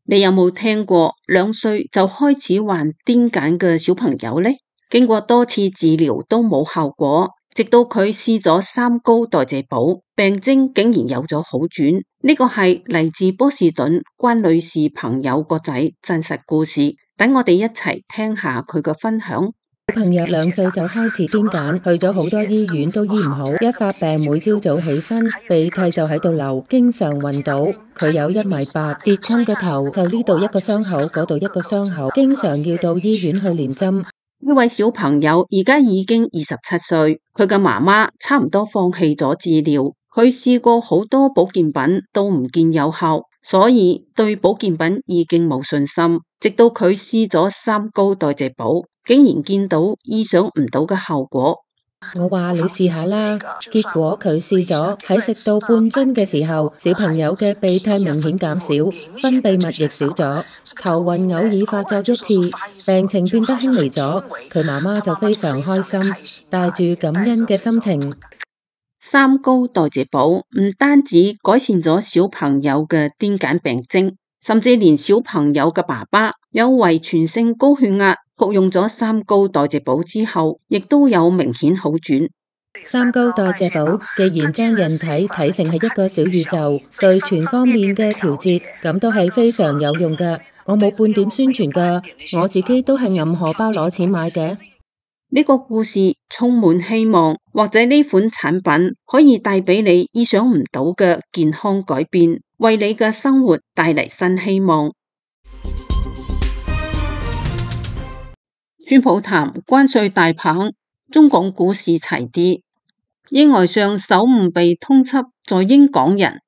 你有冇聽過2歲就開始患癲癇嘅小朋友呢？經過多次治療都冇效果，直到佢試咗3高代謝寶，病徵竟然有咗好轉。呢個係嚟自波士頓關女士朋友個仔真實故事，等我哋一齊聽下佢嘅分享。小朋友2歲就開始癲癇，去咗好多醫院都醫唔好，一發病每朝早起身鼻涕就喺度流，經常暈倒。佢有1.8米，跌親個頭就呢度一個傷口，嗰度一個傷口，經常要到醫院去連針。呢位小朋友而家已經27歲，佢嘅媽媽差唔多放棄咗治療，佢試過好多保健品都唔見有效，所以對保健品已經冇信心。直到佢試咗3高代謝寶，竟然見到意想唔到嘅效果。我話你試下啦，結果佢試咗，喺食到半樽嘅時候，小朋友嘅鼻涕明顯減少，分泌物亦少咗，頭暈偶爾發作1次，病情變得輕微咗。佢媽媽就非常開心，帶住感恩嘅心情。3高代謝寶唔單止改善咗小朋友嘅癲癇病徵，甚至連小朋友嘅爸爸有遺傳性高血壓，服用咗3高代謝寶之後，亦都有明顯好轉。3高代謝寶既然將人體睇成係一個小宇宙，對全方面嘅調節，咁都係非常有用㗎。我冇半點宣傳㗎，我自己都係揞荷包攞錢買嘅。呢個故事充滿希望，或者呢款產品可以帶俾你意想唔到嘅健康改變，為你嘅生活帶嚟新希望。川普談關稅大棒，中港股市齊跌。意外上首誤被通緝在英港人，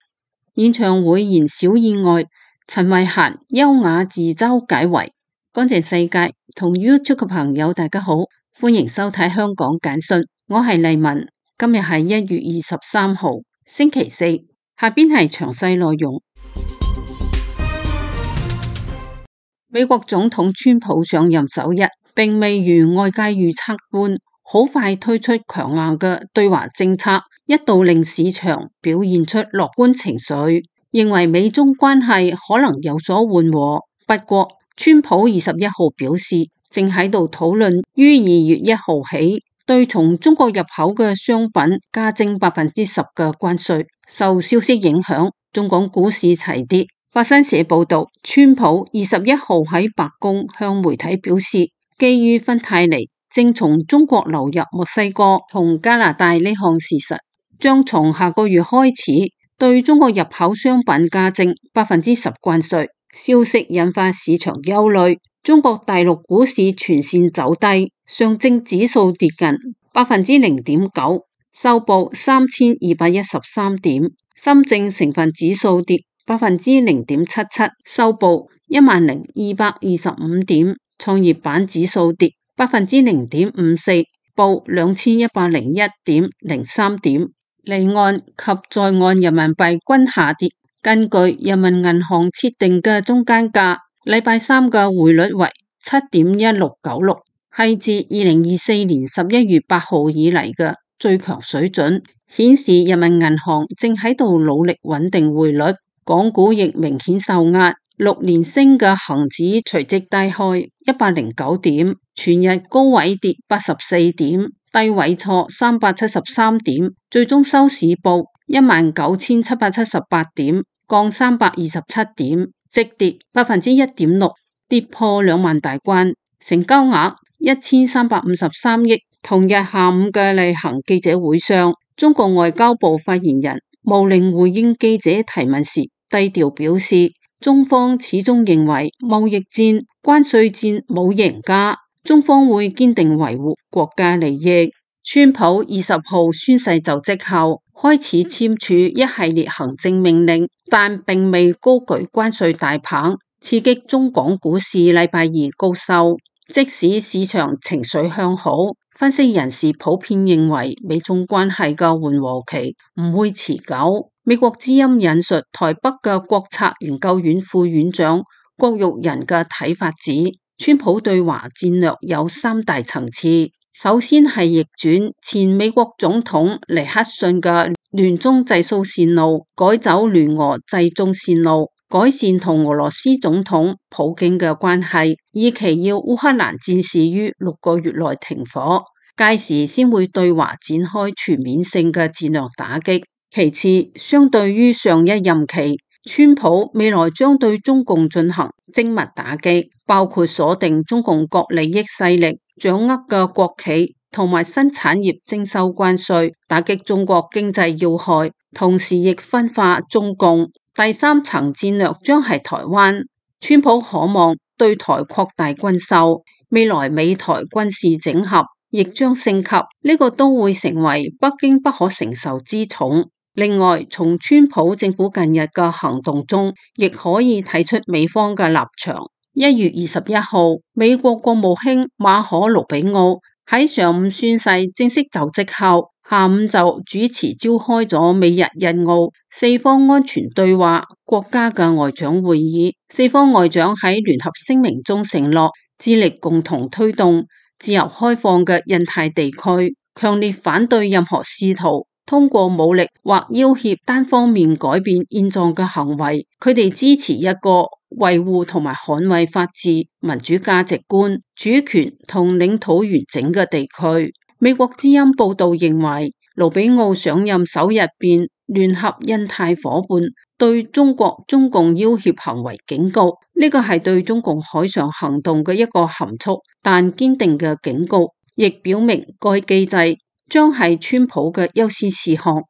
演唱會燃小意外，陳慧嫻優雅自嘲解圍。乾淨世界同 YouTube 嘅朋友大家好，歡迎收睇香港簡訊，我係麗文。今日係1月23號星期四，下邊係詳細內容。美國總統川普上任首日，並未如外界預測般好快推出強硬嘅對華政策，一度令市場表現出樂觀情緒，認為美中關係可能有所緩和。不過，川普21號表示，正喺度討論於2月1號起對從中國入口嘅商品加徵10%嘅關稅。受消息影響，中港股市齊跌。法新社報道，川普21號喺白宮向媒體表示，基於芬太尼正從中國流入墨西哥同加拿大呢項事實，將從下個月開始對中國入口商品加徵10%關稅。消息引發市場憂慮，中國大陸股市全線走低，上證指數跌近0.9%，收報3213點；深證成分指數跌0.77%，收報10225點；創業板指數跌0.54%，報2101.03點。離岸及在岸人民幣均下跌。根據人民銀行設定嘅中間價，禮拜三嘅匯率為7.1696，係自2024年11月8號以嚟嘅最強水準，顯示人民銀行正喺度努力穩定匯率。港股亦明顯受壓，6連升嘅恒指隨即低開109點，全日高位跌84點，低位挫373點，最終收市報19778點，降327點，即跌1.6%，跌破2萬大關，成交額1353億。同日下午嘅例行記者會上，中國外交部發言人毛寧回應記者提問時低調表示，中方始終認為貿易戰、關稅戰冇贏家，中方會堅定維護國家利益。川普20號宣誓就職後，開始簽署一系列行政命令，但並未高舉關稅大棒，刺激中港股市禮拜二高收。即使市場情緒向好，分析人士普遍認為美中關係嘅緩和期唔會持久。美國之音引述台北嘅國策研究院副院長郭玉仁嘅睇法指，川普對華戰略有三大層次，首先係逆轉前美國總統尼克遜嘅聯中制蘇線路，改走聯俄制中線路，改善同俄羅斯總統普京嘅關係，以期要烏克蘭戰事於6個月內停火，屆時先會對華展開全面性嘅戰略打擊。其次，相對於上一任期，川普未來將對中共進行精密打擊，包括鎖定中共各利益勢力掌握嘅國企同埋新產業徵收關稅，打擊中國經濟要害，同時亦分化中共。第三層戰略將係台灣，川普可望對台擴大軍售，未來美台軍事整合亦將升級，呢個都會成為北京不可承受之重。另外，從川普政府近日嘅行動中，亦可以睇出美方嘅立場。1月21號，美國國務卿馬可·盧比奧喺上午宣誓正式就職後，下午就主持召開咗美日印澳四方安全對話國家嘅外長會議。四方外長喺聯合聲明中承諾致力共同推動自由開放嘅印太地區，強烈反對任何試圖通過武力或要挾單方面改變現狀嘅行為。佢哋支持一個維護同埋捍衛法治、民主價值觀、主權同領土完整嘅地區。美國之音報道認為，盧比奧上任首日便聯合印太夥伴對中共要挾行為警告，呢個係對中共海上行動嘅一個含蓄但堅定嘅警告，亦表明該機制將係川普嘅優先事項。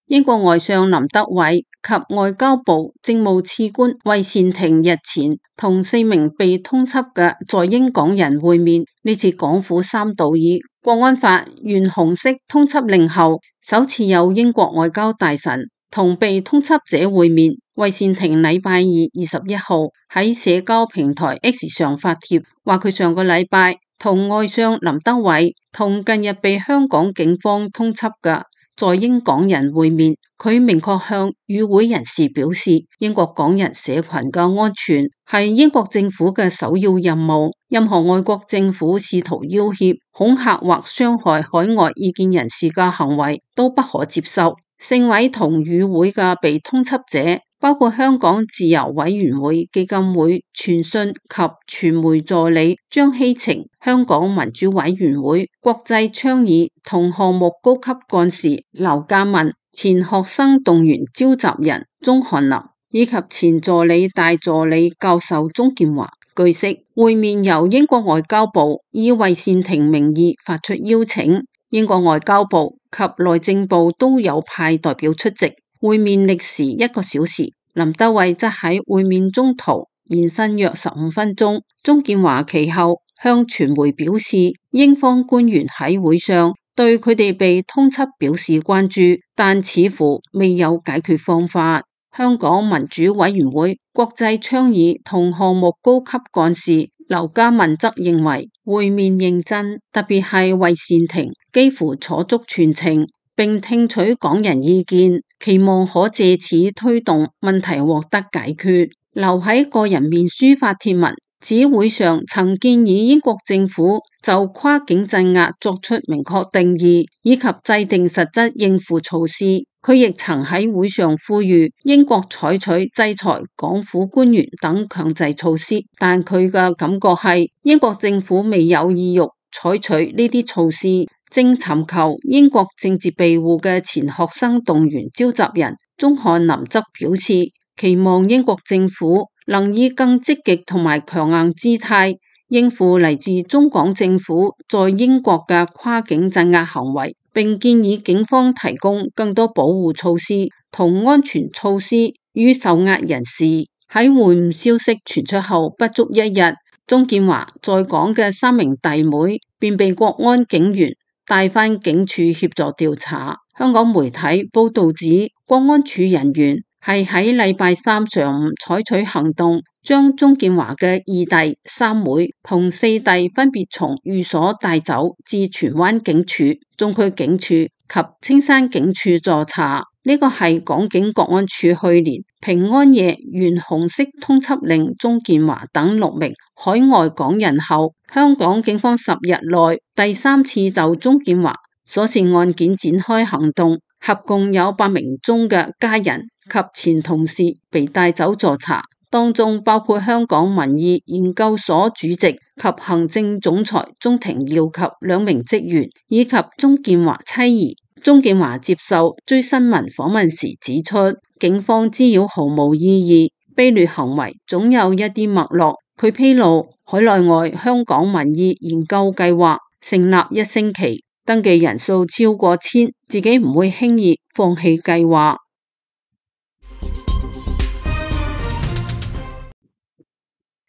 英國外相林德偉及外交部政務次官韋善廷日前同4名被通緝嘅在英港人會面，呢次港府三度以國安法懸紅色通緝令後，首次有英國外交大臣同被通緝者會面。韋善廷禮拜二21號喺社交平台 X 上發帖，話佢上個禮拜同外相林德偉同近日被香港警方通緝嘅在英港人會面。佢明確向與會人士表示，英國港人社群嘅安全係英國政府嘅首要任務，任何外國政府試圖要挾、恐嚇或傷害海外異見人士嘅行為都不可接受。4位同與會嘅被通緝者包括香港自由委員會基金會傳訊及傳媒助理張希晴、香港民主委員會國際倡議同項目高級幹事劉家文、前學生動員召集人鍾翰林以及前助理大助理教授鍾建華。據悉，會面由英國外交部以韋善廷名義發出邀請，英國外交部及內政部都有派代表出席。會面歷時1個小時，林德偉則喺會面中途延伸約15分鐘。鍾建華其後向傳媒表示，英方官員喺會上對佢哋被通緝表示關注，但似乎未有解決方法。香港民主委員會國際倡議同項目高級幹事劉家文則認為會面認真，特別係韋善廷幾乎坐足全程，並聽取港人意見，期望可借此推動問題獲得解決。劉喺個人面書發帖文，指會上曾建議英國政府就跨境鎮壓作出明確定義，以及制定實質應付措施。佢亦曾喺會上呼籲英國採取制裁港府官員等強制措施，但佢嘅感覺係英國政府未有意欲採取呢啲措施。正尋求英國政治庇護嘅前學生動員召集人鍾翰林則表示，期望英國政府能以更積極同埋強硬姿態應付嚟自中港政府在英國嘅跨境鎮壓行為，並建議警方提供更多保護措施同安全措施予受壓人士。喺會晤消息傳出後不足1日，鍾建華在港嘅3名弟妹便被國安警員帶返警署協助調查。香港媒體報道指，國安處人員係喺禮拜3上午採取行動，將鍾建華嘅2弟、3妹同4弟分別從寓所帶走至荃灣警署、中區警署及青山警署助查。呢個係港警國安處去年平安夜懸紅色通緝令鍾建華等6名海外港人後，香港警方10日內第3次就鍾建華所涉案件展開行動，合共有8名鍾嘅家人及前同事被帶走助查，當中包括香港民意研究所主席及行政總裁鍾庭耀及2名職員，以及鍾建華妻兒。鍾建華接受追新聞訪問時指出，警方滋擾毫無意義，卑劣行為總有一啲脈絡。佢披露海內外香港民意研究計劃成立1星期，登記人數超過1000，自己唔會輕易放棄計劃。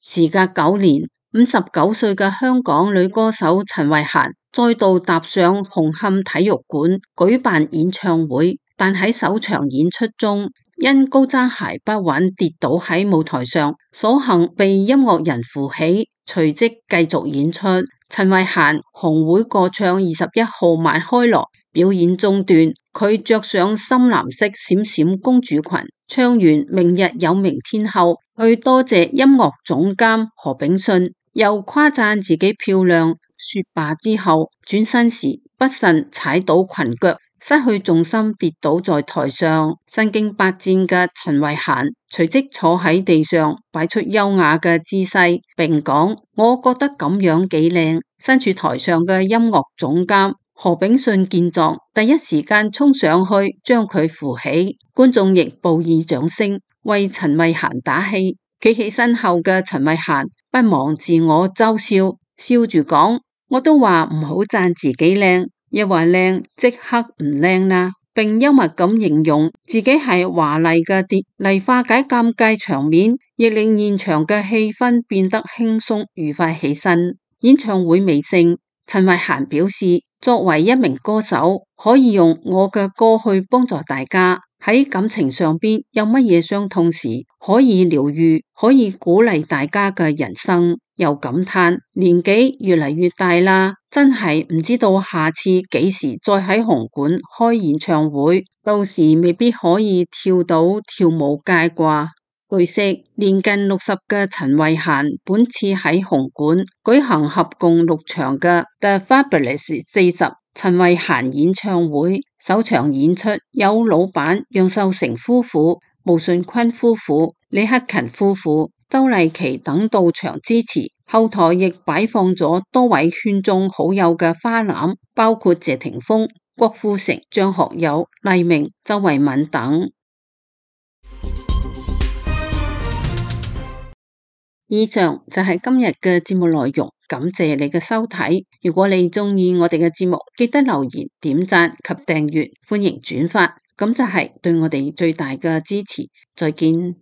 時隔9年，59歲嘅香港女歌手陳慧嫻再度踏上紅磡體育館舉辦演唱會，但喺首場演出中因高踭鞋不穩跌倒喺舞台上，所幸被音樂人扶起，隨即繼續演出。陳慧嫻紅會歌唱21號晚開鑼，表演中段佢着上深藍色閃閃公主裙，唱完明日有明天後，佢多謝音樂總監何炳信，又誇讚自己漂亮。說罷之後，轉身時不慎踩到裙腳，失去重心跌倒在台上。身經百戰嘅陳慧嫻隨即坐喺地上，擺出優雅嘅姿勢，並講：我覺得咁樣幾靚。身處台上嘅音樂總監何炳信見狀，第一時間衝上去將佢扶起，觀眾亦報以掌聲，為陳慧嫻打氣。企起身後嘅陳慧嫻不忘自我嘲笑，笑住講：我都話唔好讚自己靚，一話靚即刻唔靚啦，並幽默咁形容自己係華麗嘅蝶嚟化解尷尬場面，亦令現場嘅氣氛變得輕鬆愉快起身。演唱會尾聲，陳慧嫻表示，作為一名歌手，可以用我嘅歌去幫助大家，喺感情上邊有乜嘢傷痛時可以療癒，可以鼓勵大家嘅人生。又感嘆年紀越嚟越大啦，真係唔知道下次幾時再喺紅館開演唱會，到時未必可以跳到跳舞街啩。據悉，年近60嘅陳慧嫻本次喺紅館舉行合共6場嘅 The Fabulous 40陳慧嫻演唱會，首場演出有老闆楊受成夫婦、毛舜筠夫婦、李克勤夫婦、周麗淇等到場支持，後台亦擺放咗多位圈中好友嘅花籃，包括謝霆鋒、郭富城、張學友、黎明、周慧敏等。以上就係今日嘅節目內容，感謝你嘅收睇。如果你鍾意我哋嘅節目，記得留言、點讚及訂閱，歡迎轉發，咁就係對我哋最大嘅支持。再見。